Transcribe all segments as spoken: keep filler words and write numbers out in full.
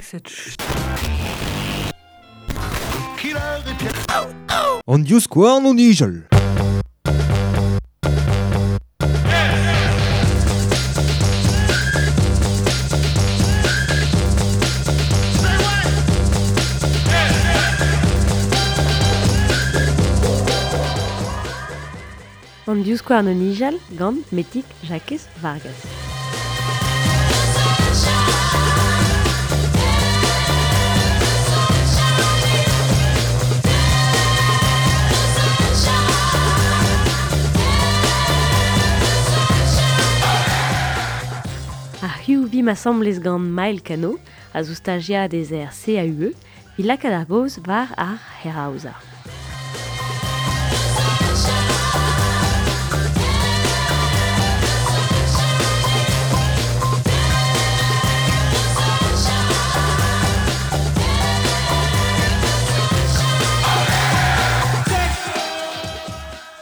Cette An divskouarn o nijal. An divskouarn o nijal gant Metig Jakez Vargas. Ar hiziv vimp asambles gant Mael Cano, a zo stajiadez er C A U E, evit lakaat ar gaoz war ar c'hêraozañ.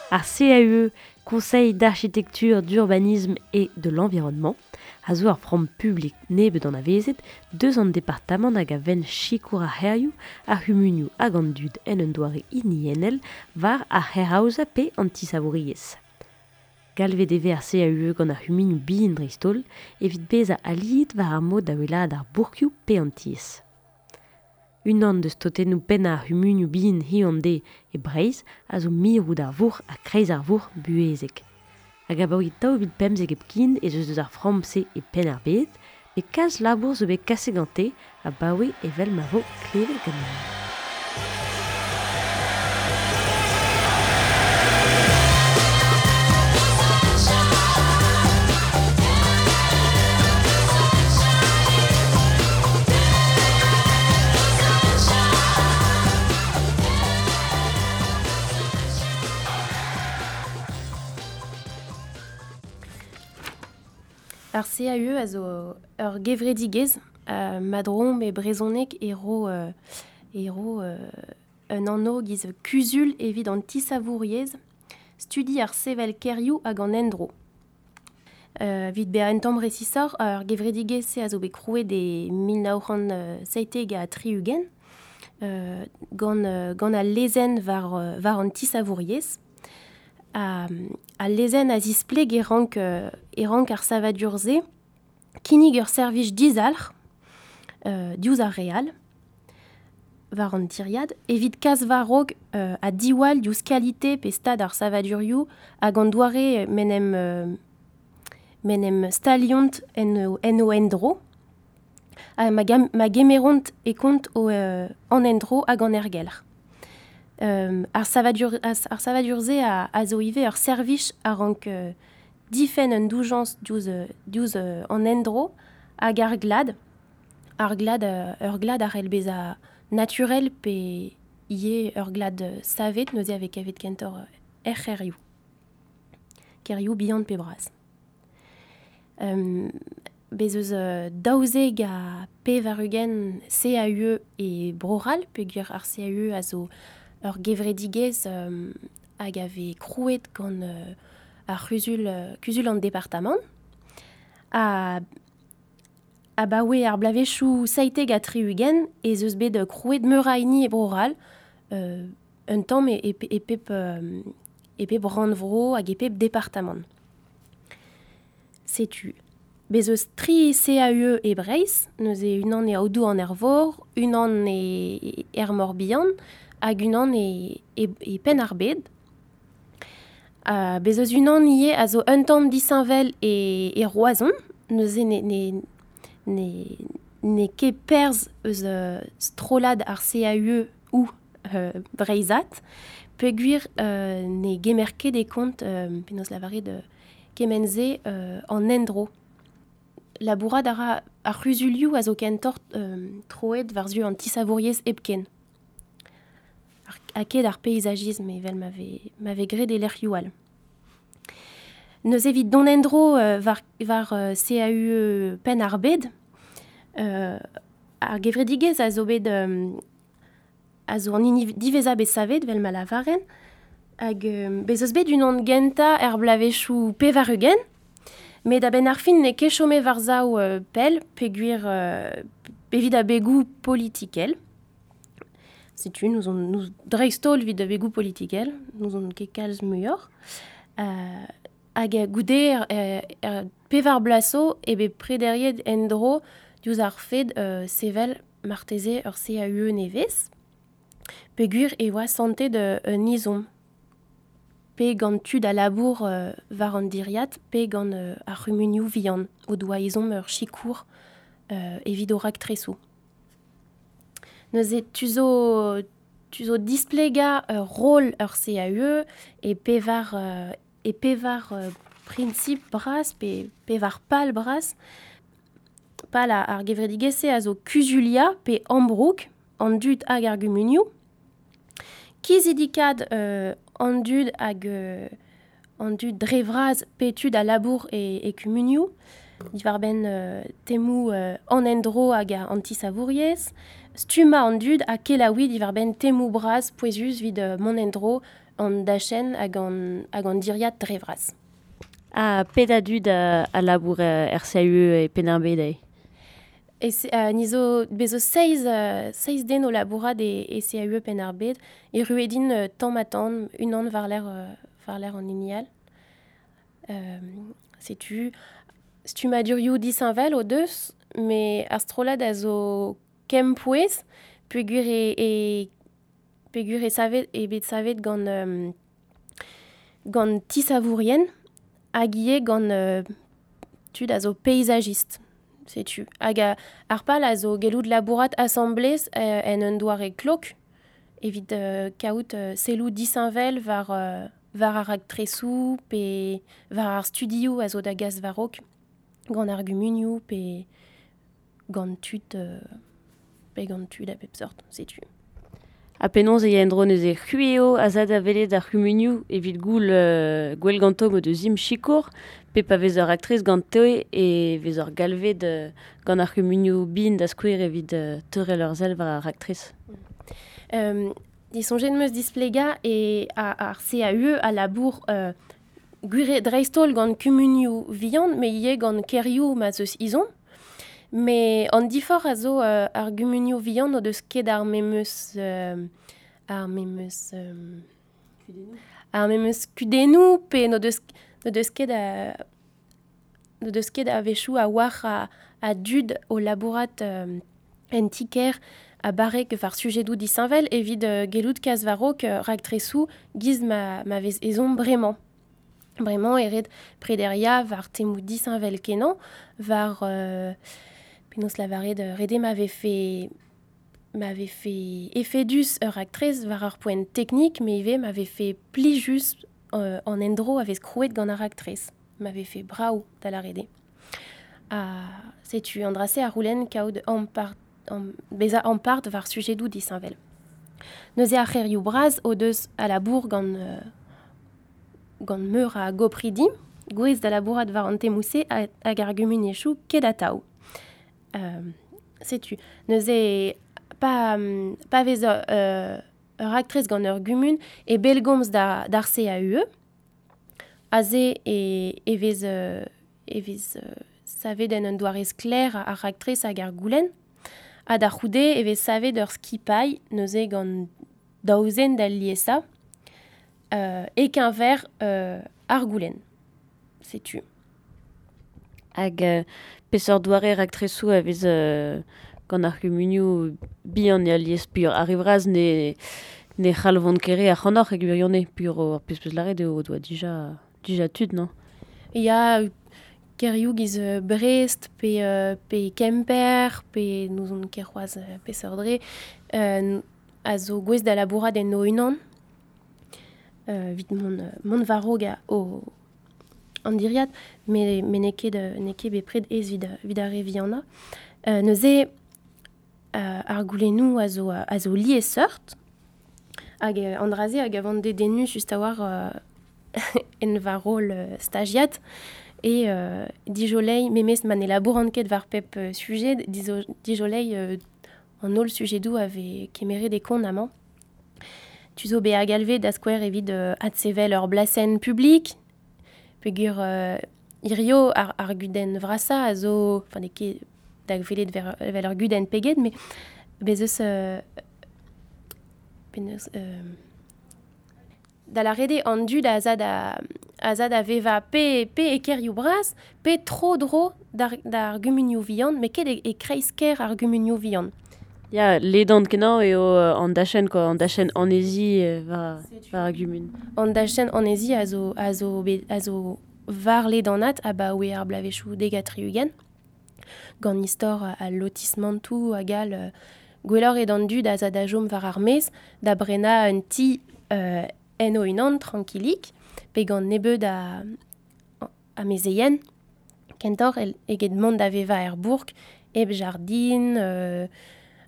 Ar C A U E, Conseil d'architecture, d'urbanisme et de l'environnement, a zo ar framm publik nebeut anavezet deus an departamant hag a venn sikour ar c'hêrioù, ar c'humunioù hag an dud en un doare hiniennel war ar c'hêraozañ pe an tisavouriezh. Galvet e vez ar C A U E gant ar c'humunioù bihan dreist-holl evit bezañ aliet war ar mod da wellaat ar bourkioù pe an tiez. Unan deus totennoù pennañ ar c'humunioù bihan hiziv an deiz e Breizh a zo mirout ar vourc'h ha kreiz ar vourc'h buhezek. Hag abaoe daou vil pemzek hepken ez eus deus ar framm-se e Penn-ar-Bed, met kalz labour zo bet kaset gante abaoe evel ma vo klevet ganeomp. Ar C A U E a zo ur gevredigezh, euh, madromp e brezhoneg e ro, euh, e ro euh, un anv giz kuzul evit an tisavouriezh, studi ar sevel kêrioù hag an endro. Euh, evit bezañ un tamm resisoc'h, ar gevredigezh-se a zo bet krouet e mil nav c'hant seitek ha tri-ugent, euh, gant, euh, gant al lezenn war, euh, war an tisavouriezh. A, a lezenn a zispleg e rank, euh, e rank ar savadur-se kinnig ur servij dizalc'h, euh, diouzh ar re all, war an tiriad, evit kas war-raok, euh, ha diwall diouzh kalite pe stad ar savadurioù hag an doare m'en em, euh, m'en em staliont en o, en o endro, ha ma gam-, ma gemeront e kont o, euh, an endro hag an aergelc'h. Euh, ar savadur, ar, ar savadur-se a, a zo ivez ur servij a rank, euh, difenn un doujañs diouzh, euh, diouzh, euh, an endro hag ar glad. Ar glad, euh, ur glad a c'hell bezañ naturel pe ivez ur glad, euh, savet, neuze a vez kavet kentoc'h, euh, er c'hêrioù. Kêrioù bihan pe bras. Euh, bez eus, euh, daouzek ha pevar-ugent C A U E e Bro-C'hall, peogwir ar C A U E a zo ur gevredigezh, euh, hag a vez krouet gant, euh, ar c'huzul, euh, kuzul an departamant. A, abaoe ar bloavezhioù seitek ha tri-ugent ez eus bet krouet meur a hini e Bro-C'hall, euh, un tamm e, e, e pep, euh, e pep rannvro hag e pep departamant. Setu. Bez eus tri C A U E e Breizh, neuze unan e Aodoù an Arvor, unan e er Morbihan, hag unan e, e, e Penn-ar-Bed. Uh, bez eus unan ivez a zo un tamm disheñvel e, e Roazhon, neuze ne, ne, ne, ne ket perzh eus, euh, strollad ar C A U E ou, euh, Breizhat, peogwir, euh, ne gemer ket e kont, euh, penaos lavaret, euh, kement-se, euh, an endro. Labourat a ra ar c'huzulioù a zo kentoc'h, euh, troet war-zu an tisavouriezh hepken. Ar, ha ket ar peysagisme evel ma vez, ma vez graet e lec'hioù all. Neuze evit dont endro, euh, war, war, euh, C A U E Penn-ar-Bed, euh, ar gevredigezh a zo bet, euh, a zo an hini diwezhañ bet savet, vel ma lavaren, hag, euh, bez eus bet unan gentañ er bloavezhioù pevar-ugent, met a-benn ar fin n'eo ket chomet war-sav, euh, pell, peogwir, euh, Pe vid abegou politikel. Setu, nous on nous dreistol vid abegou politikel, nous on ket kalz muioc'h. Euh, hag goude er, er, pevar blaso e bet prederiet endro diouzh ar fed euh, sevel marteze ur C A U E nevez. Peogwir e oa santet de un izom. Pe gant tud a labour euh, war an diriad, pe gant euh, ar c'humunioù vihan, o doa izom ur sikour euh, evit o raktresoù. Neuze tu zo, tu zo displega ur rôle ur C A U E e pevar, euh, e pevar euh, princip bras, pe pevar pal bras, pal a, ar gevredigezh-se a zo kuzulia pe ambroug an dud hag ar gumunioù, kizidikad euh, an dud hag euh, an dud dre vras pe tud a labour e, e kumunioù, diwar-benn euh, temoù euh, an endro hag a antisavouriezh, stumma an dud ha kelaouiñ diwar-benn temoù bras pouezus vid euh, mont endro an dachenn hag an, hag an diriad dre vras. Ha pet a dud a, a labour euh, er C A U E e Penn-ar-Bed eo? E se, euh, ni zo bezo seiz, euh, seiz den o labourat e, e C A U E Penn-ar-Bed, e ruedin euh, tamm ha tamm, unan war-lerc'h, euh, war-lerc'h an hini all. Euh, setu stummadurioù disheñvel o deus, me ar strollad a zo kempouez, peogwir e, e, peogwir e savet, e bet savet gant, euh, gant tisavourien, hag ivez gant, euh, tud a zo paysagist. Setu. Hag a, ar pal a zo gellout labourat asamblez, euh, en un doare klok, evit, euh, kaout, euh, selloù disheñvel war, euh, war ar raktresoù, pe war ar studioù a zo da gas war-raok, gant ar gumunioù, pe gant tud, euh, pe gant tud a bep seurt, setu. Ha penaos e ya en-dro neuze c'hwi eo a za da welet ar c'humunioù evit goul, euh, gwell ganto mod eus im sikour, pe pa vez ur raktres ganto e vez ur galved, euh, gant ar c'humunioù bin da skouer evit, euh, teurel ur sell war ar raktres. Euh, disoñjet 'm eus displegañ e a, ar C A U E a labour, euh, gwir dreist-holl gant kumunioù vihan, met ivez gant kêrioù ma 'z eus izom. Me an diforc'h a zo, euh, ar gumunioù vihan o deus ket ar memes, euh, ar memes, euh, ar memes kudennoù, pe n'o deus, n'o deus ket a, n'o deus ket a-wechoù a war a, a dud o labourat, euh, en ti-kêr a barrek war sujedoù disheñvel evit, euh, gellout kas war-raok, euh, raktresoù giz ma, ma vez ezhomm bremañ. Bremañ e ret prederia war temoù disheñvel kenañ, war, euh, penaos lavaret, euh, rede ma vefe, ma vefe efedus ur raktres war ur poent teknik, me ivez ma vefe plijus, euh, an endro a vez krouet gant ar raktres, ma vefe brav da lâret eo. Ha setu an dra-se a roulenn kaout ampart, am, bezañ ampart war sujedoù disheñvel. Neuze ar c'hêrioù bras o deus a labour gant, euh, gant meur a gopridi, gouez da labourat war an temoù-se hag ar gumuniezhioù ket atav. Euh, setu, neuze pa, pa vez ur, euh, ur raktres gant ur gumun e bellgomz da, d'ar C A U E, aze e, e vez, euh, e vez, euh, savet en un doare sklaer ar raktres hag ar goulenn, ha da c'houde e vez savet ur skipailh neuze gant daouzen d'al liesañ, euh, e keñver, euh, ar goulenn. Setu. Hag, euh, peseurt doare raktresoù a vez, euh, gant ar c'humunioù bihan e alies pur ar vras ne, ne c'halvont ket re ac'hanoc'h e gwirionez pur ar pezh peus lâret eo o doa dija, dija tud, non? Ya, kêrioù giz, euh, Brest, pe, euh, pe Kemper, pe n'ouzon ket c'hoazh, euh, peseurt dre, euh, a zo gouez da labourat en o unan. Euh, evit mont, euh, mont war-raok a o an diriad, me, me n'eo ket, euh, n'eo ket bepred aes evit, evit ar re vihanañ. Euh, neuze, euh, ar goulennoù a zo, a zo liesseurt, hag, euh, an dra-se hag a vant dedennus just a-walc'h, euh, en va rôle, euh, stagiad, e, euh, dijolei, memes ma ne labouran ket war pep, euh, sujet, dizo, dijolei, euh, an holl sujedoù a vez kemeret e kont amañ. Tu zo bezañ galvet da skouer evit, euh, adsevel ur blasenn publik, peogwir, euh, hirio ar, ar gudenn vrasañ a zo, enfin, n'eo ket, da gwelet ver, vel ur gudenn peget, met bez eus... Euh, penaos... Euh, da la rede an dud a za da, a za da veva pe, pe e kerioù bras, pe tro dro d'ar, d'ar gumunioù vihan, met ket e, e kreiz ker ar gumunioù vihan. Ya, ledan kenañ eo an dachenn, quoi, an dachenn anezi war, war ar gumun. An dachenn anezi a zo, a zo, a zo war ledanat abaoe ar blavezhioù dek ha tri-ugent. Gant istor al lotismantoù hag al gwelloc'h eo d'an dud a za da chom war ar maez, da brenañ un ti euh, en o unan, tranquilik, pe gant nebeud a, a mezeien, kentoc'h eget mont da veva er bourg, hep jardin, euh,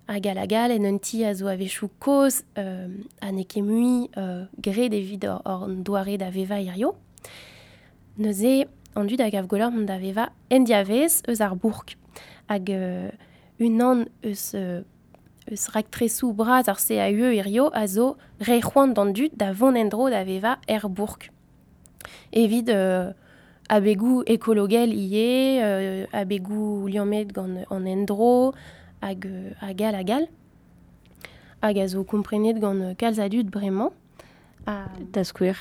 hag al hag al, en un ti a zo a-wechoù kozh, euh, ha n'eo ket mui euh, graet evit hor, hor doare da veva hirio. Neuze, an dud a gav gwelloc'h mont da veva en diavez eus ar bourg. Hag euh, unan eus... Euh, eus raktresoù bras ar C A U E hirio a zo re c'hoant d'an dud da vont en-dro da veva er bourg. Evit euh, abegoù ekologel ivez, euh, abegoù liammet gant an endro, hag, hag al hag al. Hag a zo komprenet gant kalz a dud bremañ. Ha... Da skouer?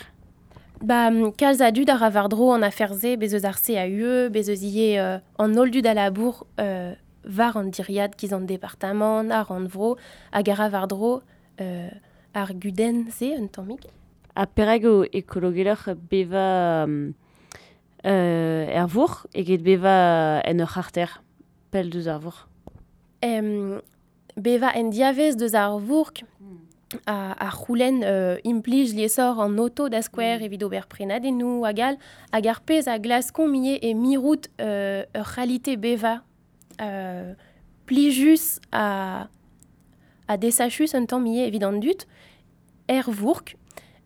Ba, kalz a dud a ra war-dro an afer-se, bez eus ar C A U E, bez eus ivez euh, an holl dud a labour euh, war an diriad giz an departamant, ar an vro, hag a ra war-dro euh, ar gudenn-se un tammig. Ha perak eo ekologeloc'h beva euh, er vourc'h eget beva en ur c'harter pell deus ar vourc'h? Em, beva en diavez deus ar vourc'h a, a c'houlenn euh, implij liesor an auto da skouer evit ober prenadennoù hag all, hag ar pezh a glaskomp ivez e mirout euh, ur c'halite beva Euh, plijus a, a desachus un tamm ivez evit an dud, er vourk,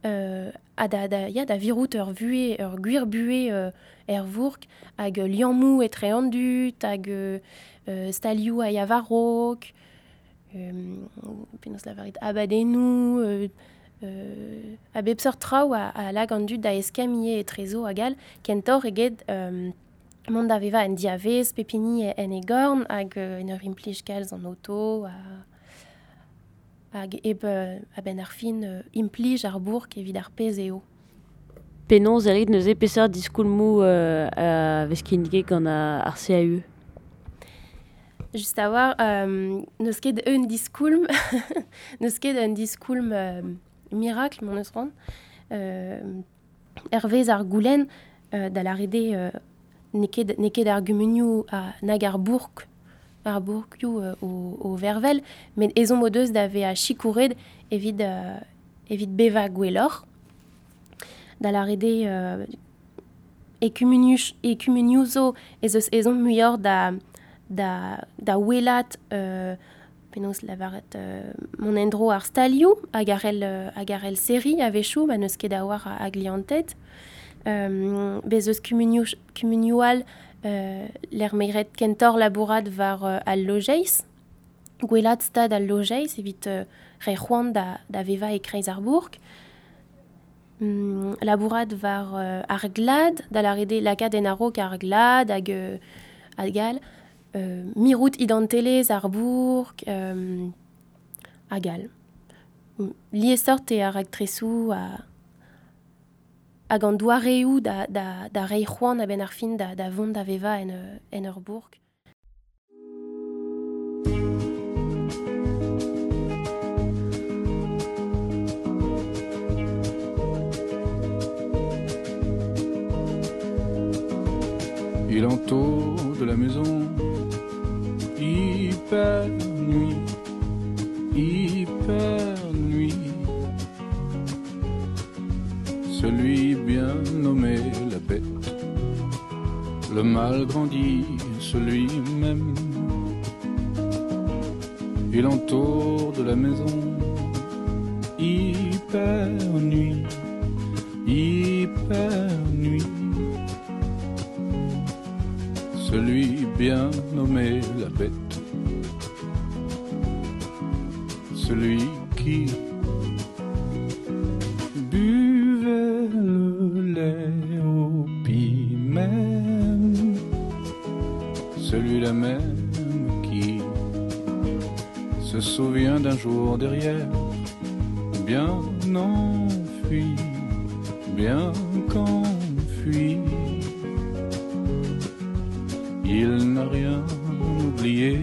euh, a da, da, ya, da virout ur vuhez, ur gwir buhez euh, er vourk, hag liammoù etre an dud, hag euh, stalioù a ya war-raok, euh, penaos lavaret, abadennoù, euh, euh, a bep seurt traoù a, a lag an dud da eskemm ivez etrezo hag all, kentoc'h eget euh, mont da veva en diavez, pep hini en e gorn, hag euh, en ur implij kalz an auto, ha, hag hep euh, a-benn ar fin euh, implij ar bourk evit ar pezh eo. Penaos e rit neuze peseurt diskoulmoù euh, a vez kinniget gant ar C A U E? Just a war, euh, n'eus ket un diskoulm, n'eus ket un diskoulm euh, miracle, m'en eus ran. Euh, hervez ar goulenn euh, da lâret eo euh, n'eo ket, n'eo ket ar gumunioù a nag ar bourk, ar bourkioù euh, o, o vervel, met ezhomm o deus da vezañ sikouret evit, euh, evit bevañ gwelloc'h. Da lâret eo euh, e kumunioù, e kumunioù zo ez eus ezhomm muioc'h da, da, da welat euh, penaos lavaret euh, mont en-dro ar stalioù hag ar el, hag ar el serri a-wechoù, ma n'eus ket a war a, a glianted. Euh, bez eus kumunioù, kumunioù all euh, l'er meiret kentoc'h labourat war euh, al lojeiz, gwelat stad al lojeiz evit euh, re c'hoant da, da vevañ e kreiz ar bourk. Mm, labourat war euh, ar glad, da lâret eo lakaat en a-raok ar glad hag, euh, hag all, euh, mirout identelezh ar bourk, euh, hag all. Liesseurt eo ar raktresoù a hag an doareoù da, da, da reiñ c'hoant a-benn ar fin da, da vont da vevañ en, en ur bourk. Il entoure de la maison, hyper nuit, hyper nuit. Celui bien nommé la bête, le mal grandit, celui même. Il entoure de la maison, hyper nuit, hyper nuit. Celui bien nommé la bête, celui qui buvait le lait au pis même, celui-là même Se souvient d'un jour derrière, bien enfui, bien qu'enfui. Il n'a rien oublié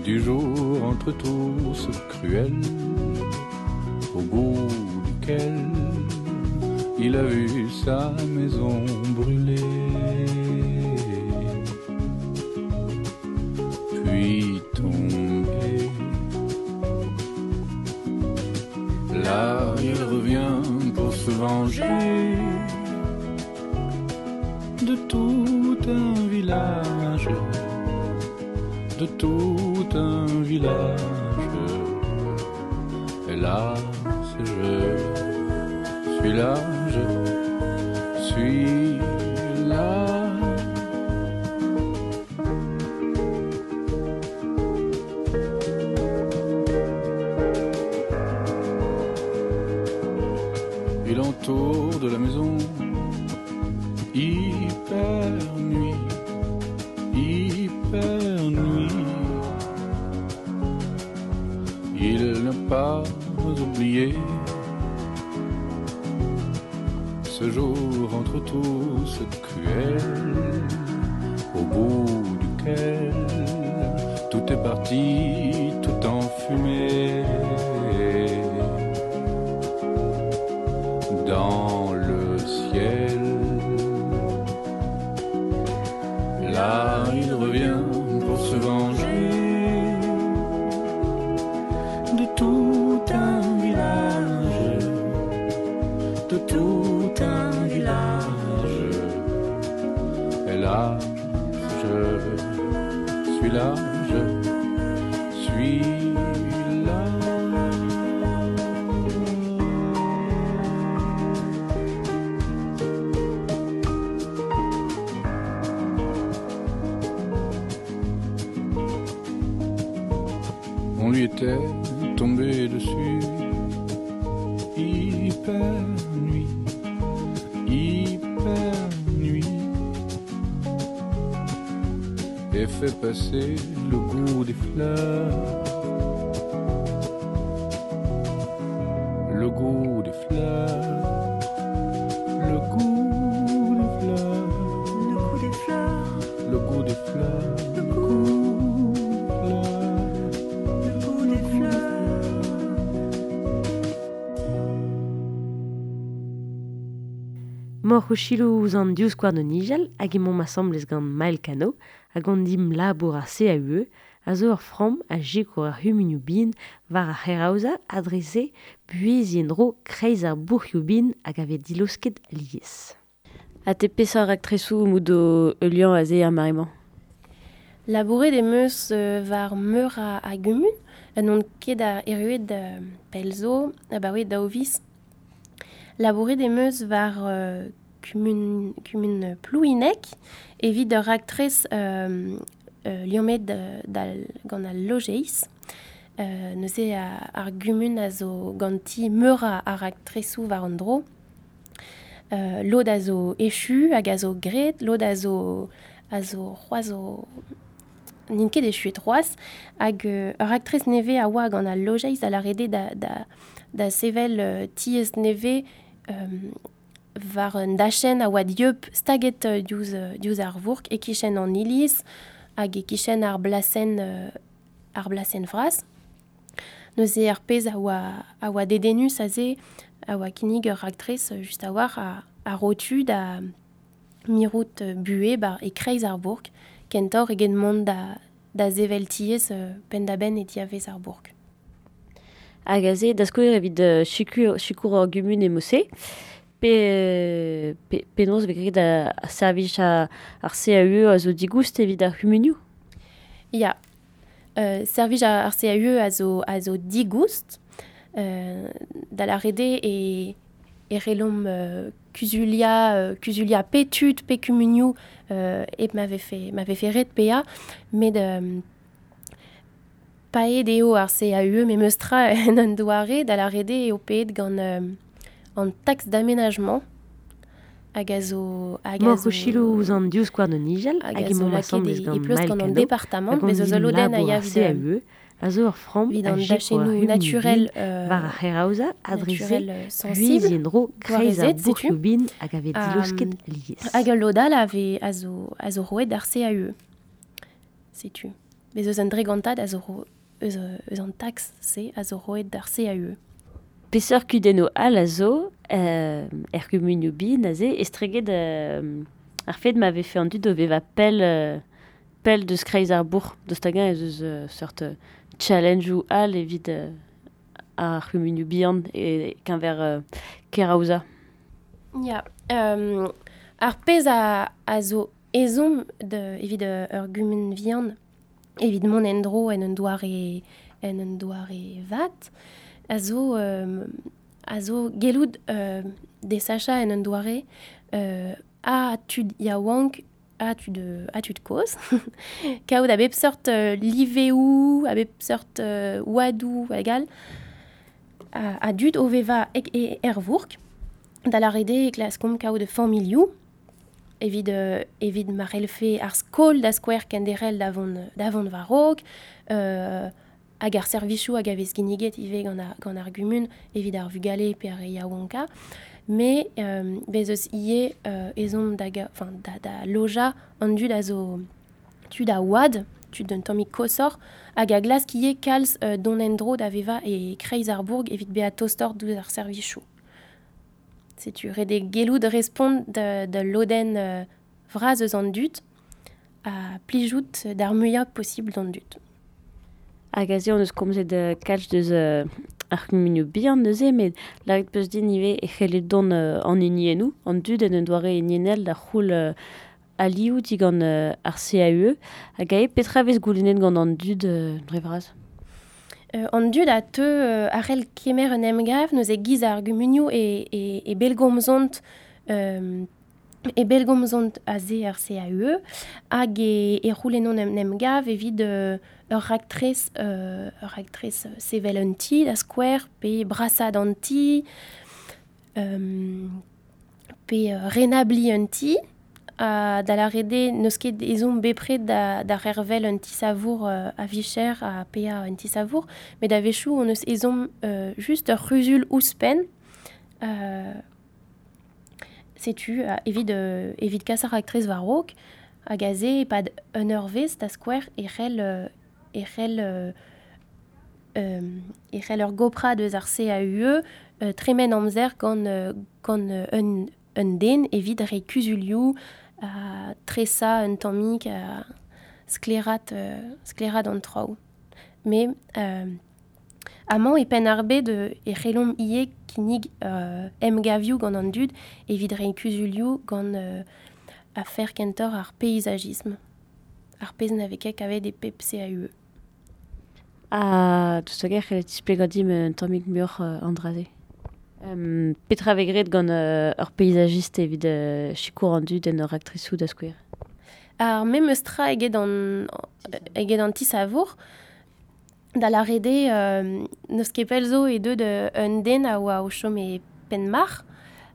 du jour entre tous cruel, au bout duquel il a vu sa maison brûler, puis tomber. Là, il revient pour se venger de tout un village, de tout un village. Et là, je suis là, je suis là. Il entoure de la maison, hyper nuit, hyper nuit. Il n'a pas oublié ce jour entre tous cruel, au bout duquel tout est parti, tout en fumée. Dans le ciel, là il revient pour se venger de tout un village, de tout un village. Et là, je suis là, je suis là. On lui était tombé dessus, hyper nuit, hyper nuit, et fait passer le goût des fleurs, le goût des fleurs, le goût des fleurs, le goût des fleurs, le goût des fleurs, le goût des fleurs, le goût des fleurs. Mor o chilou ouz an div skouarn o nijal hag emaomp asambles gant Mael Cano hag an dim labour ar C A U E a zo ur framm a sikour ar c'humunioù bihan war ar c'hêraozañ adrese buheziñ en-dro kreiz ar bourc'hioù bihan hag a vez dilosket alies. Ha te peseurt raktresoù mout o heuliañ aze ar mare-mañ? Labouret em eus euh, war meur a, a gumun, n'on ket a erruet euh, pell zo, abaoe daou viz. Labouret em eus war euh, kumun, kumun Plouhinec, evit ur raktres euh, euh, liammet dal, gant al lojeiz. Euh, neuze a, ar gumun a zo ganti meur a, a raktresoù war an dro. Euh, lod a zo echu hag a zo graet, lod a zo, a zo c'hoazh o n'int ket echuet c'hoazh, hag euh, ur raktres nevez a oa gant al lojeiz a lâret da, da, da sevel euh, tiez nevez euh, war un dachenn a oa dieub staget euh, diouzh, euh, diouzh ar vourk e kichen an iliz hag e kichen ar blasenn, euh, ar blasenn vras. Neuze ar pezh a oa, a oa dedennus aze a oa kinnig ur raktres just a war a, a rotu da mirout buhe bar e kreiz ar bourk, kentor eget mont da, da sevel tiez euh, penn-da-benn e diavez ar bourk. Hag aze, da skouer evit euh, sikour, sikour ur gumun emose, pe, pe, penaos vez graet a, a servij a, ar C A U E a zo digoust evit ar c'humunioù? Ya, euh, servij ar C A U E a zo, a zo digoust, euh, da lâret eo e, e relomp euh, kuzulia, euh, kuzulia pe tud, pe kumunioù, euh, hep ma vefe, ma vefe ret paeañ, met euh, paeet eo ar C A U E memes tra en un doare da lâret eo paeet gant euh, an taxe d'aménagement. Hag a zo... Hag a Mor zo... o selaou ouzh an Divskouarn o nijal, Hag hag a zo emaomp lakaet asambles e, e gant pleustr Mael gant an Cano, departamant, hag bez eus an ul lodenn a labour ya ar evit, C A U E, a zo ur framm evit a an sikour ar dachennoù c'humunioù naturel, bihan euh, war ar c'heraozañ ha dre-se naturel, euh, sensible, buhez-endro kreiz ar gwarezet, setu. bourc'hioù bihan hag a vez Ha, dileusket lies. Hag ul lod all a vez a zo, a zo roet d'ar C A U E. Setu. Bez eus un dregantad a zo ro, eus, eus an tax-se a zo roet d'ar C A U E. Peseurt kudennoù all a zo, euh, er kumunioù bihan aze, estreget, euh, ar fed ma vefe an dud o vevañ pell, euh, pell deus kreiz ar bourc'h, deus hag-eñ ez eus, euh, seurt, euh, challenge-où all evit, euh, ar c'humunioù bihan e keñver, euh, keraozañ. Ya, euh, ar pezh a, a zo ezhomm de, evit, euh, ur gumun vihan, evit mont en-dro en un doare, en un doare vat, a zo, euh, a zo gellout, euh, desachañ en un doare, euh, a tud yaouank, a tud, a tud kozh. Kaout a bep seurt, euh, liveoù, a bep seurt, euh, oadoù hag all, a, a dud o vevañ e, e er vourk, da lâret eo e klaskomp kaout familhoù, evit, euh, evit ma c'hellfe ar skol da skouer kenderc'hel da vont, da vont war-raok, euh, hag ar servijoù hag a vez kinniget ivez gant ar, gant ar gumun evit ar vugale pe ar re yaouankañ. Mais, euh, bez eus ivez, euh, ezhomm da ga-, enfin, da, da lojañ an dud a zo tud a oad, tud un tammig koshoc'h, hag a glask ivez kalz, euh, dont en-dro da vevañ e kreiz ar bourg evit bezañ tostoc'h diouzh ar servijoù. Setu ret eo gellout respont da, da lodenn, euh, vras eus an dud ha plijout d'ar muiañ posibl d'an dud. Hag aze hon eus komzet, euh, kalz deus, euh, ar c'humunioù bihan neuze, met lâret peus din ivez e c'helle dont, euh, an hiniennoù, an dud en un doare hiniennel da c'houl, euh, alioù digant, euh, ar C A U E. Hag aze petra vez goulennet gant an dud, euh, dre vras? Euh, an dud a teu, euh, a c'hell kemer un emgav, neuze giz ar gumunioù e, e, e bellgomzont, euh, e bellgomzont aze ar C A U E, hag e, e c'houlenont un emgav evit, euh, ur raktres, euh, ur raktres sevel un ti da skouer, pe brasad an ti, euh, pe, euh, renabli un ti, ha da lâret eo n'eus ket ezhomm bepred da, da c'hervel un ti-savour, euh, a vicher ha paeañ un ti-savour, met a-wechoù on eus ezhomm, euh, just ur c'huzul ouzhpenn, euh, setu, euh, evit, euh, evit kas ar raktres war-raok, hag aze e-pad un eurvezh da skouer e c'hell, euh, e c'hell, euh, euh, e c'hell ur goprad eus ar C A U E, euh, tremen amzer gant, euh, gant, euh, un, un den evit reiñ kuzulioù, a tresañ un tammig, a sklaeraat, euh, sklaeraat an traoù. Mais, euh, amañ e penn ar bed, euh, e c'hellomp ivez kinnig, euh, emgavioù gant an dud evit reiñ kuzulioù gant, euh, afer kentoc'h ar peizagisme. Ar pezh na vez ket kavet e pep C A U E. Ha, deus hag-eñ c'hellet displegañ dimp un tammig muioc'h, euh, an dra-se. Euh, petra vez graet gant, euh, ur paysagiste evit, euh, sikour an dud en ur raktresoù da skouer? Ar memes tra eget an, eget an ti-savour, da lâret eo, euh, n'eus ket pell zo e deut, euh, un den a oa o chom e Penmarc'h,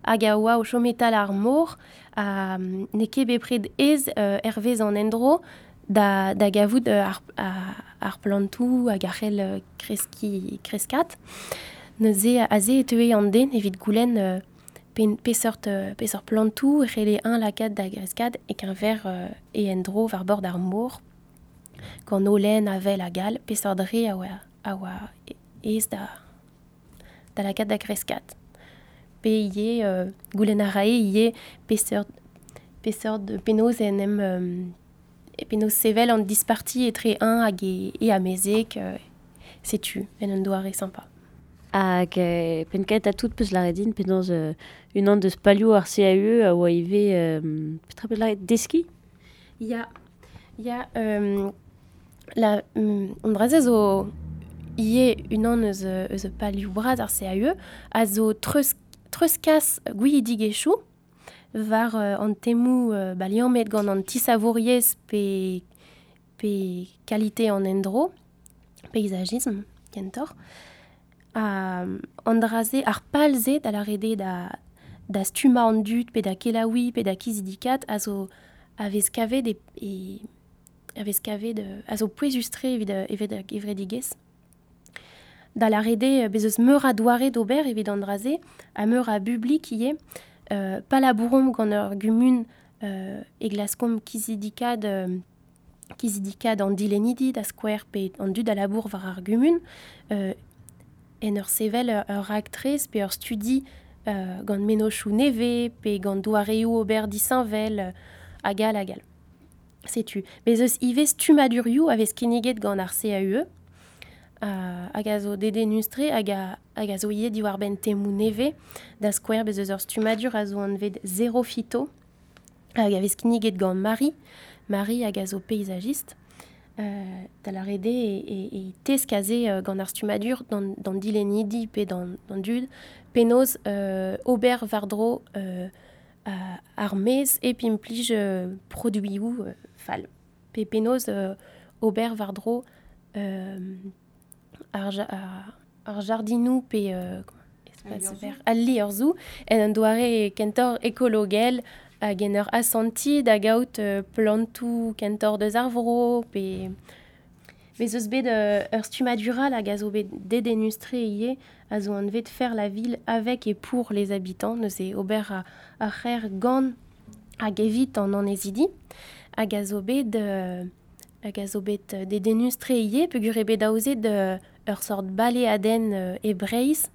hag a oa o chom e-tal ar mor, ha n'eo ket bepred aes, euh, hervez an endro da, da gavout, euh, ar, ar, ar plantoù hag ar c'hell, euh, kreski, kreskat. Neuze, aze e teue an den evit goulenn, euh, pen, peseurt, euh, peseurt plantoù e c'helle un lakaat da greskat e keñver, euh, e endro war bord ar mor, gant holen, avel hag all, peseurt re a oa, a oa aes da, da lakaat da greskat. Pe ivez, euh, goulenn a rae ivez peseurt, peseurt penaos en em, euh, e penaos sevel an disparti etre un hag e, e amezeg, euh, setu, en un doare sympa. Hag, euh, penn kentañ tout peus lâret din penaos, euh, unan deus palioù ar C A U E a oa ivez, euh, petra peus lâret, deskiñ? Ya, ya, euh, la, mm, an dra-se zo ivez unan eus, eus palioù bras ar C A U E, a zo treuz, treuzkas gouizidigezhioù war, euh, an temoù, euh, ba, liammet gant an tisavouriezh pe, pe kalite an endro, peizagisme, kentoc'h. Ha an dra-se, ar pal-se da lâret eo da, da stumma an dud pe da kelaoui pe da kizidikat a zo a vez kavet e, e a vez kavet a zo pouezus-tre evit, evit ar gevredigezh. Da lâret eo bez eus meur a doare d'ober evit an dra-se, ha meur a bublik ivez, euh, pa labouromp gant ur gumun euh, e glaskomp kizidikat euh, kizidikat an dilennidi da skouer pe an dud a labour war ar gumun, euh, en ur sevel ur, ur raktres pe ur studi euh, gant mennozhioù nevez pe gant doareoù ober disheñvel euh, hag all hag all. Setu. Bez eus ivez stummadurioù a vez kinniget gant ar C A U E, uh, hag a zo dedennus-tre hag a, hag a zo ivez diwar-benn temoù nevez, da skouer bez eus ur stummadur a zo anvet Zéro Phyto, hag a vez kinniget gant Marie, Marie hag a zo paysagiste, euh, da lâret eo e, e, e tesk aze euh, gant ar stummadur d'an, d'an dilennidi pe d'an, d'an dud, penaos euh, ober war-dro euh, ar maez e pimplij euh, produioù euh, fall. Pe penaos euh, ober war-dro euh, ar, ja, ar, ar jardinou pe euh, espace vert al liorzhoù en un doare kentor ekologel hag en ur asanti da gaout euh, plantoù kentor deus ar vro pe bez eus bet euh, ur stummadur all hag a zo bet dedennus-tre ivez a zo anvet faire la ville avec et pour les habitants, neuze ober a, ar c'hêr gant hag evit an annezidi hag a zo bet euh, hag a zo bet dedennus-tre ivez peogwir eo bet aozet euh, ur sort baleadenn euh, e Breizh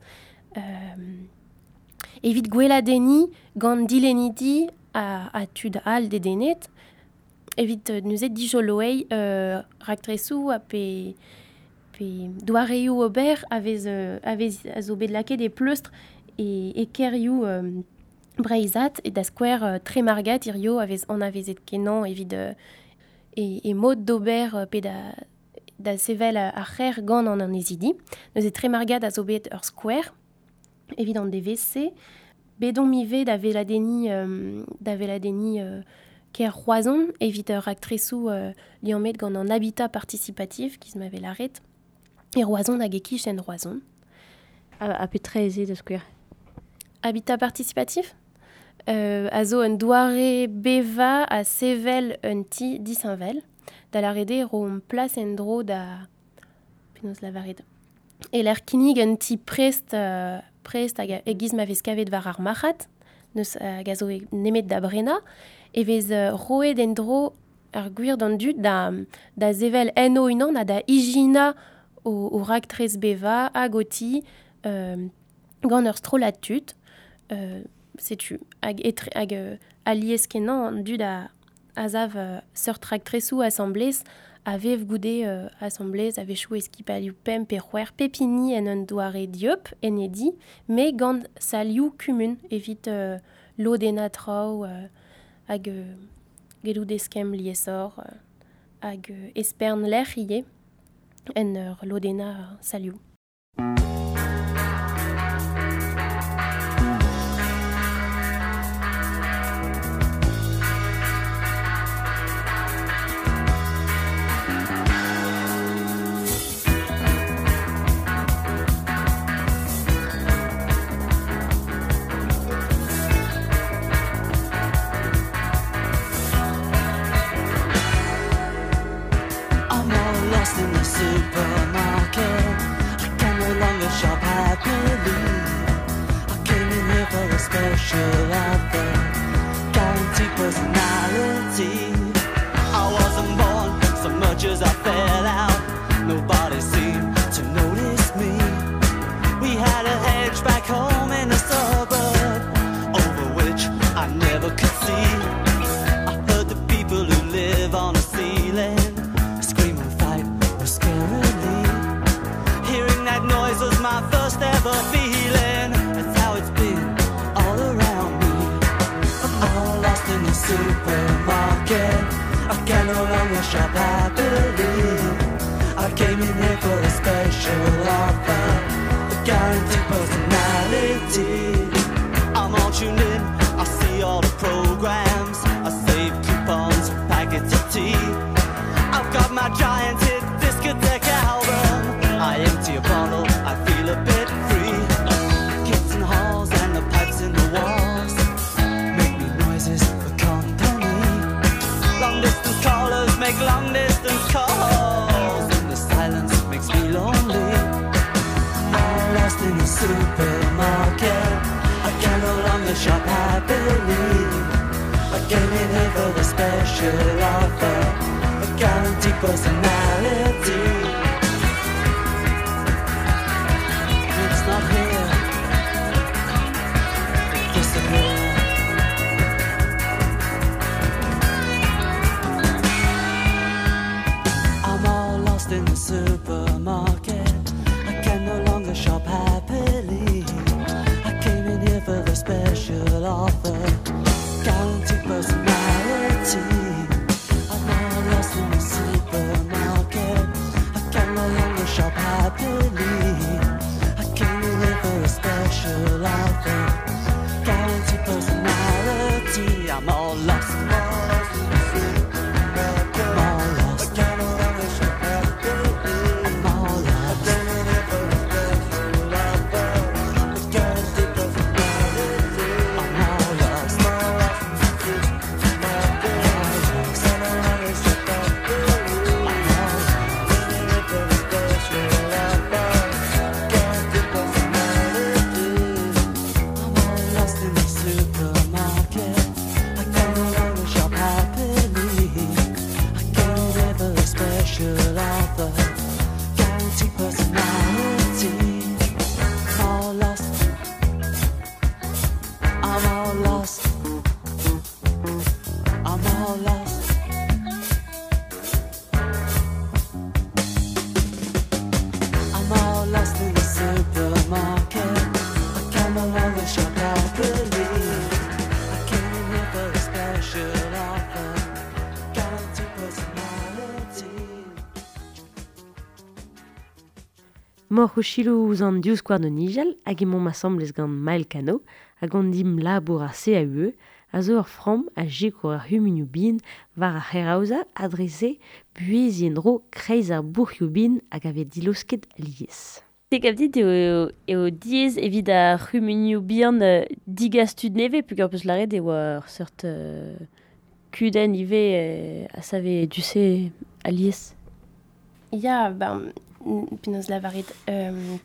euh, evit gweladenniñ gant dilennidi a, a tud all dedennet evit euh, neuze dijoloeiñ euh, raktresoù ha pe pe doareoù ober a vez, euh, a vez a zo bet lakaet e pleustr e, e kêrioù euh, breizhat e da skouer euh, Tremargat hirio a vez anavezet kenañ evit euh, e, e mod d'ober euh, pe da, da sevel ar c'hêr gant an annezidi. Neuze Tremargat a zo bet ur skouer evit an D V C. Bet omp ivez da veladenniñ, euh, da veladenniñ, euh, kêr Roazhon evit ur raktresoù euh, liammet gant an habitat participatif giz ma vez lâret. E Roazhon hag e kichen Roazhon. Ha, ha petra ez eo da skouer? Habitat participatif? Euh, a zo un doare beva a sevel un ti disheñvel. Da lâret eo ro plas en-dro da... Penaos lavaret. E l'er kinnig un ti prest, euh, prest hag e giz ma vez kavet war ar marc'had, neus hag a zo e nemet da brenañ, e vez euh, roet en-dro ar gwir d'an dud da, da sevel en o unan ha da ijinañ o, o raktres beva hag o ti, euh, gant ur strollad tud. Euh, setu, hag etre, hag, euh, alies kenañ an dud a, a zav, euh, seurt raktresoù asamblez, a vev goude, euh, asamblez, a vechoù eskipalioù pemp pe c'hwec'h pepini en un doare dieub, en e di, met gant salioù kumun evit, euh, lodennañ traoù, euh, hag, euh, gellout eskemm liesor, euh, hag, euh, espern lec'h ivez en ur lodennañ salioù. Supermarket, I can no longer shop happily. I came in here for a special offer, guaranteed personality. I wasn't born so much as I fell out. Nobody seemed to notice me. We had a hedge back home in the suburb, over which I never could see. I heard the people who live on the ceiling scream and fight scarily. Hearing that noise was my first ever feeling. That's how it's been all around me. I'm all lost in the supermarket. I can no longer shop happily. I came in here for a special offer, a guaranteed personality. I'm all tuned in, I see all the programs. I save coupons for packets of tea. I've got my giant hit discotheque album. I empty a bottle, I feel a bit free. Kids in halls and the pipes in the walls. came in here for a special offer, a guaranteed personality. It's not here, it disappeared. I'm all lost in the supermarket. I can no longer shop happily. I came in here for the special offer, guaranteed personality. I'm all lost in the supermarket. I can no longer shop happily. I came in here for a special offer, guaranteed personality. I'm all lost. I'm all lost. I'm all lost. I'm all lost. I'm all lost in the supermarket. I can no longer shop happily. I came here for a special offer, guaranteed personality. I'm all lost. I'm all lost. I'm all lost. I'm all lost in the supermarket. I can no longer shop happily. I came in here for a special offer, guaranteed personality. Mor o chilo ouz an div skouarn o nijal hag emaomp asambles gant Mael Cano hag an dim labour ar C A U E a zo ur framm a sikour ar c'humunioù bihan war ar c'hêraozañ adrese buheziñ en-dro kreiz ar bourc'hioù bihan hag a vez dilosket alies. Te gav dit eo, eo diaes evit ar c'humunioù bihan euh, digas tud nevez peogwir peus lâret e oa ur seurt euh, kudenn ivez euh, a save du-se alies. Ya, ben, penaos lavaret, euh,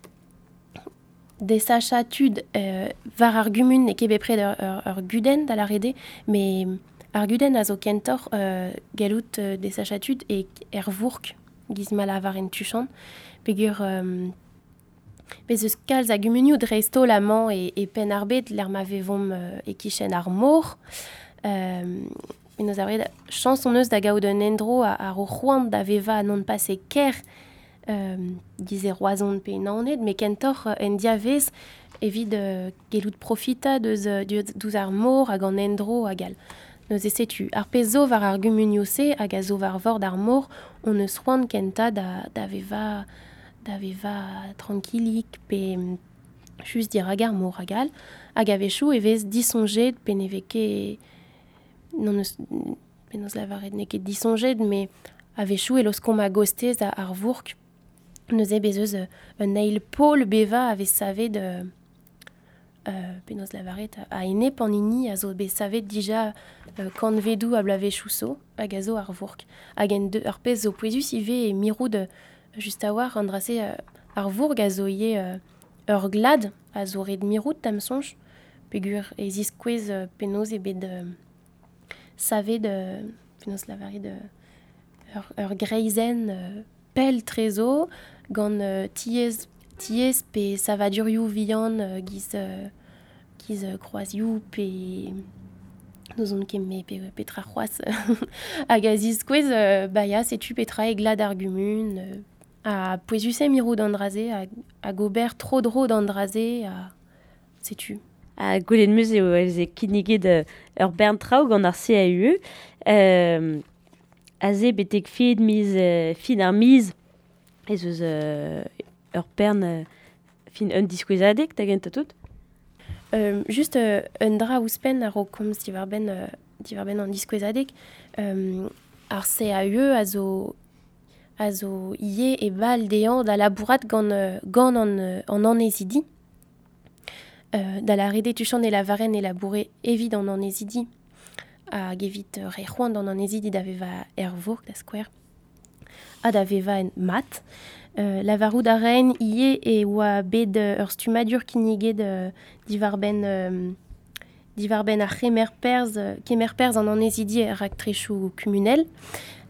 desachañ tud euh, war ar gumun n'eo ket bepred ur, ur, ur gudenn da lâret eo, met ar gudenn a zo kentoc'h euh, gallout euh, desachañ tud e er vourk giz ma lavaren tuchant, peogwir euh, bez eus kalz a gumunioù dreist-holl amañ e, e Penn-ar-Bed lec'h ma vevomp euh, e-kichen ar mor. Euh, penaos lavaret, chañs hon eus da gaout un endro a, a ro c'hoant da vevañ non pas e kêr, euh, giz e Roazhon pe Naoned, met kentoc'h euh, en diavez evit euh, gellout profitañ deus, euh, deus ar mor hag an endro hag all. Neuze setu, ar pezh zo war ar gumunioù-se hag a zo war vord ar mor, hon eus c'hoant kentañ da, da vevañ da vevañ trankilik pe just dirak ar mor hag all, hag a-wechoù e vez disoñjet pe ne vez ket non eus penaos lavaret n'eo ket disoñjet, met a-wechoù e laoskomp a-gostez a ar vourk. Neuze bez eus un eil pol bevañ a vez savet euh, euh, penaos lavaret a enep an hini a zo bet savet dija euh, kantvedoù a bloavezhioù zo hag a zo ar vourk. Hag en deux, ar pezh zo pouezus ivez e mirout euh, just a-walc'h an dra-se euh, ar vourk a zo ivez euh, ur glad a zo ret mirout da'm soñj, peogwir e ziskouez euh, penaos eo bet euh, savet euh, penaos lavaret euh, ur, ur greizenn euh, pell tre zo gant euh, tiez, tiez pe savadurioù vihan euh, giz, euh, giz euh, kroazioù pe n'ouzon ket me pe, petra c'hoazh hag a ziskouez euh, ba ya setu petra e glad ar gumun euh, ha pouezus eo mirout an dra-se hag, hag ober tro-dro d'an dra-se ha setu. Ha gwelet 'm eus eo ez eo kinniget euh, ur bern traoù gant ar C A U E. Euh, aze betek fin miz, euh, fin ar miz ez eus euh, ur bern euh, fin un diskouezadeg da gentañ tout. Euh, just euh, un dra ouzhpenn a-raok komz diwar-benn euh, diwar-benn an diskouezadeg. Euh, ar C A U E a zo a zo ivez e bal dezhañ da labourat gant, euh, gant an, euh, an annezidi. Euh, da lâret eo tuchant e lavaren e laboure evit an annezidi hag evit euh, re c'hoant an annezidi da vevañ er vourk da skouer ha da vevañ en mat. Euh, lavarout a raen ivez e oa bet euh, ur stummadur kinniget euh, diwar-benn, euh, Diwar benn ar c'hemer perz, kemer perz an annezidi er raktresoù kumunel.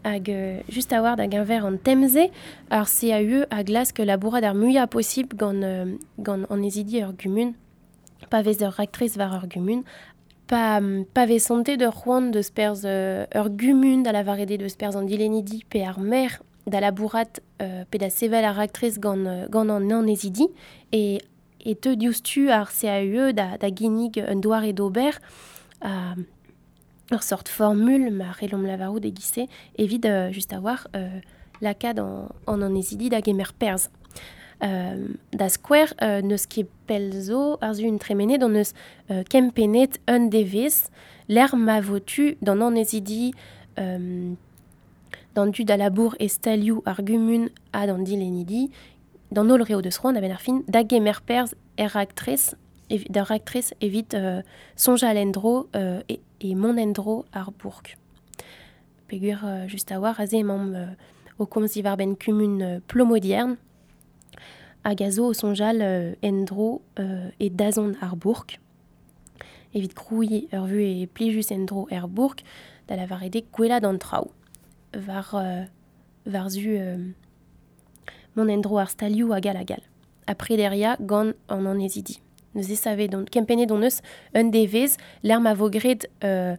Hag euh, just a war da geñver an temze, ar C A U E a glask labourat ar muiañ posibl gant, euh, gant annezidi ur gumun, pa vez ur raktres war ur gumun, pa, pa vez sontet ur c'hoant deus perzh euh, ur gumun da lavarede deus perzh an dilennidi pe ar maer da labourat euh, pe da sevel ar raktres gant, gant an annezidi, e, e teu diouzhtu ar C A U E da, da ginnig un doare d'ober a ur sort formule ma c'hellomp lavarout e giz-se evit euh, just a war euh, lakaat an, an annezidi da gemer perzh. Euh, da skouer, euh, n'eus ket pell zo ar zu un tremenet an eus euh, kempennet un devezh l'er ma votu d'an annezidi euh, d'an dud a labour e stalioù ar gumun ha d'an dilennidi d'an holl reo deus c'hoant a-benn ar fin da gemer perzh er raktres ev-, d'ar raktres evit, euh, soñjal en-dro, euh, e, e mont en-dro ar bourg. Peogwir, euh, just a war, aze emaomp, euh, o komz diwar-benn kumun, euh, Plomodiern, hag a zo o soñjal, euh, en-dro, euh, e dazont ar bourg. Evit krouiñ ur vu e plijus en-dro er bourg, da lavaret eo gwelat an traoù. War, euh, war zu, euh, mont en-dro ar stalioù hag all hag all. Ha prederia gant an annezidi. Neuze savet don, kempennet hon eus un devezh, l'er ma vo graet, euh,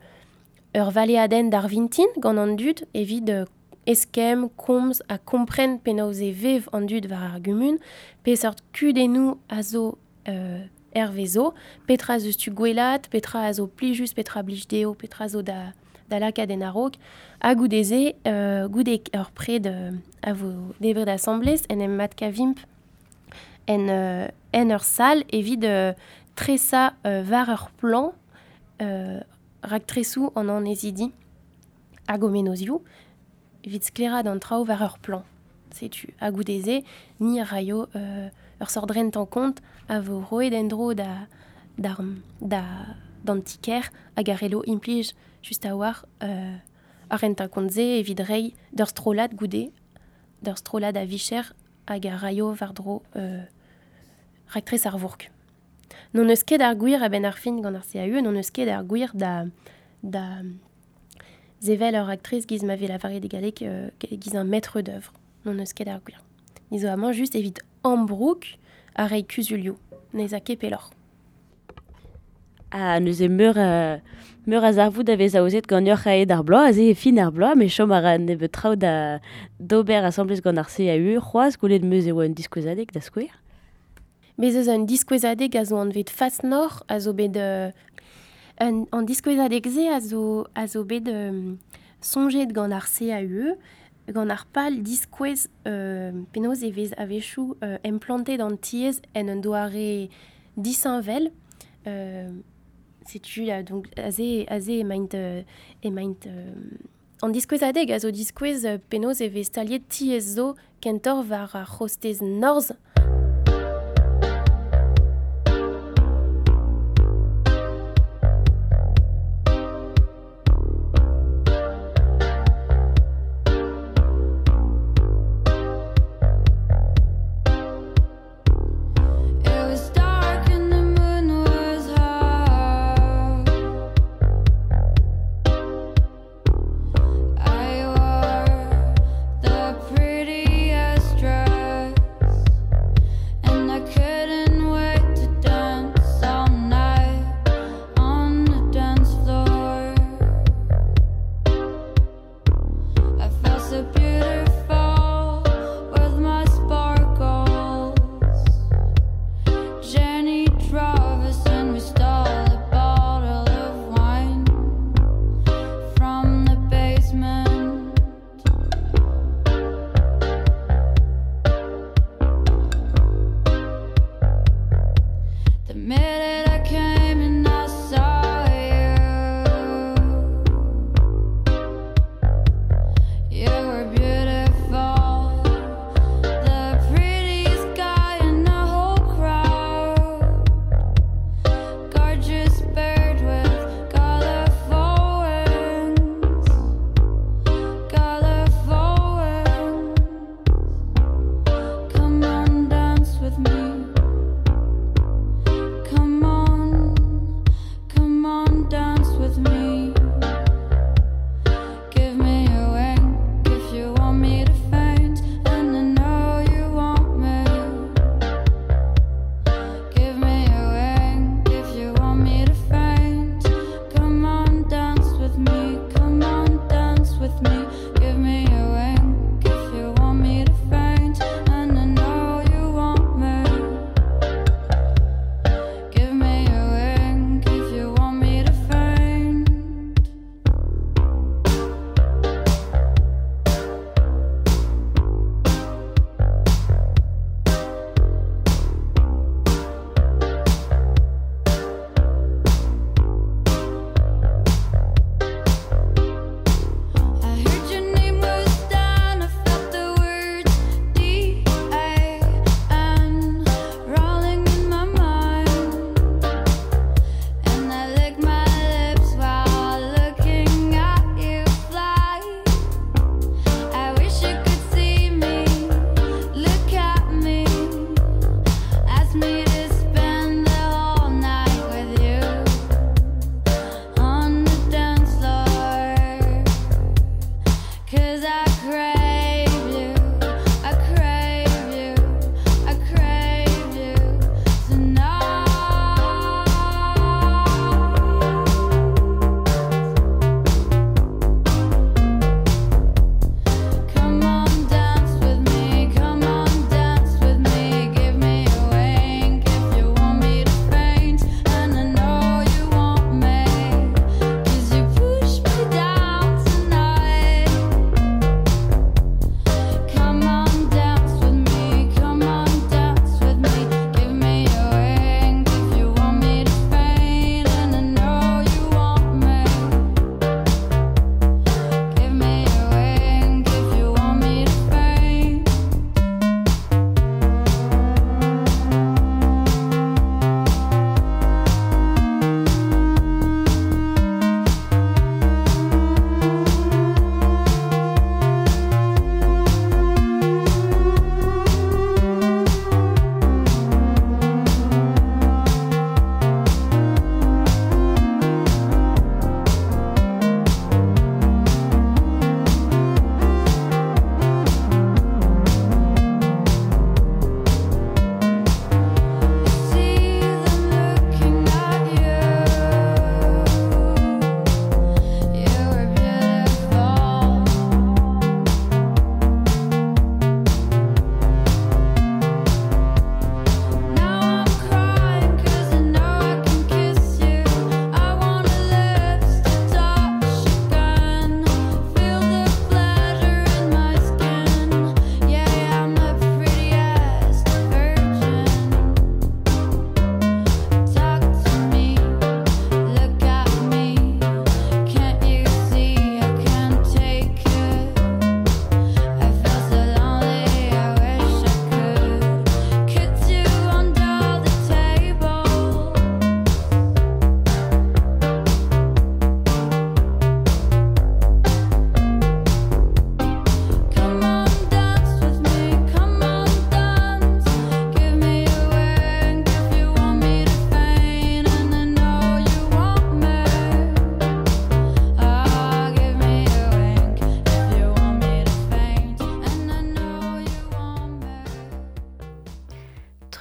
ur valeadenn d'ar vintin gant an dud evit, euh, eskemm, komz ha kompren penaos e vev an dud war ar gumun, peseurt kudennoù a zo, euh, hervezo, petra zeus tu gwelat, petra a zo plijus, petra blij dezho, petra zo da, da lakaat en a-raok, ha goude-se, euh, goude ur pred, euh, a vo debret asambles, en em matkavimp en, euh, en ur sal evit, euh, tresa, euh, war ur plan, euh, raktresoù an annezidi hag o menozioù, evit sklaeraat an traoù war ur plan. Setu, ha goude-se, ni a raio, euh, ur sort rent en kont a vo roet en-dro da, d'ar, da, d'an tiker hag a relo implij just a war, euh, ar rent en kont-se evit reiñ d'ur strollad goude, d'ur strollad a vicher hag a raio war-dro, euh, raktres ar vourk. N'hon eus ket ar gwir a-benn ar fin gant ar C A U E, n'hon eus ket ar gwir da, da zevel ur raktres giz ma vez lavaret e galleg, euh, giz un maître d'œuvre. N'hon eus ket ar gwir. Ni zo amañ just evit ambroug ar reiñ kuzulioù, n'ez a ket pelloc'h. Ah, neuze meur, euh, meur a zarvoud a vez aozet gant ur c'haet ar bloaz, aze e fin ar bloaz, met chom a ra nebeut traoù da d'ober asambles gant ar C A U E, c'hoazh gwelet meus e oa un diskouezadeg da skouer. Bez eus un diskouezadeg a zo anvet Face Nord, a zo bet, euh, un, an diskouezadeg-se a zo, a zo bet, euh, soñjet gant ar C A U E, gant ar pal diskouez, euh, penaos e vez a-wechoù, euh, implantet an tiez en un doare disheñvel. Euh, setu, là, donc, aze, aze emaint, euh, emaint, euh, an diskouezadeg a zo diskouez, euh, penaos e vez staliet tiez zo kentoc'h war ar c'hostez norzh. Prettiest dress.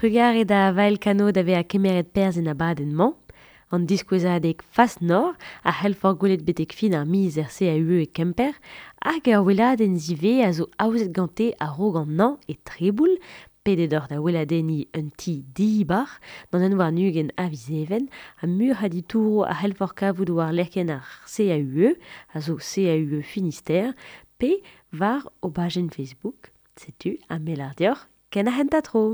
Trugare da Vael Kano da vezañ kemeret perzh en abadenn-mañ. An diskouezadeg Fas Nord a c'hellfor gwelet betek fin ar miz er C A U E e Kemper hag ur weladenn zivez a zo aozet gante a-raok an hañv e Treboul, pedet oc'h da weladenniñ un ti dibar d'an un warn-ugent a viz Even ha mur a ditouro a c'hellfor kavout war lec'hienn ar C A U E a zo C A U E Finistère pe war o bajenn Facebook. Setu ha me lar deoc'h ken ar c'hentañ tro.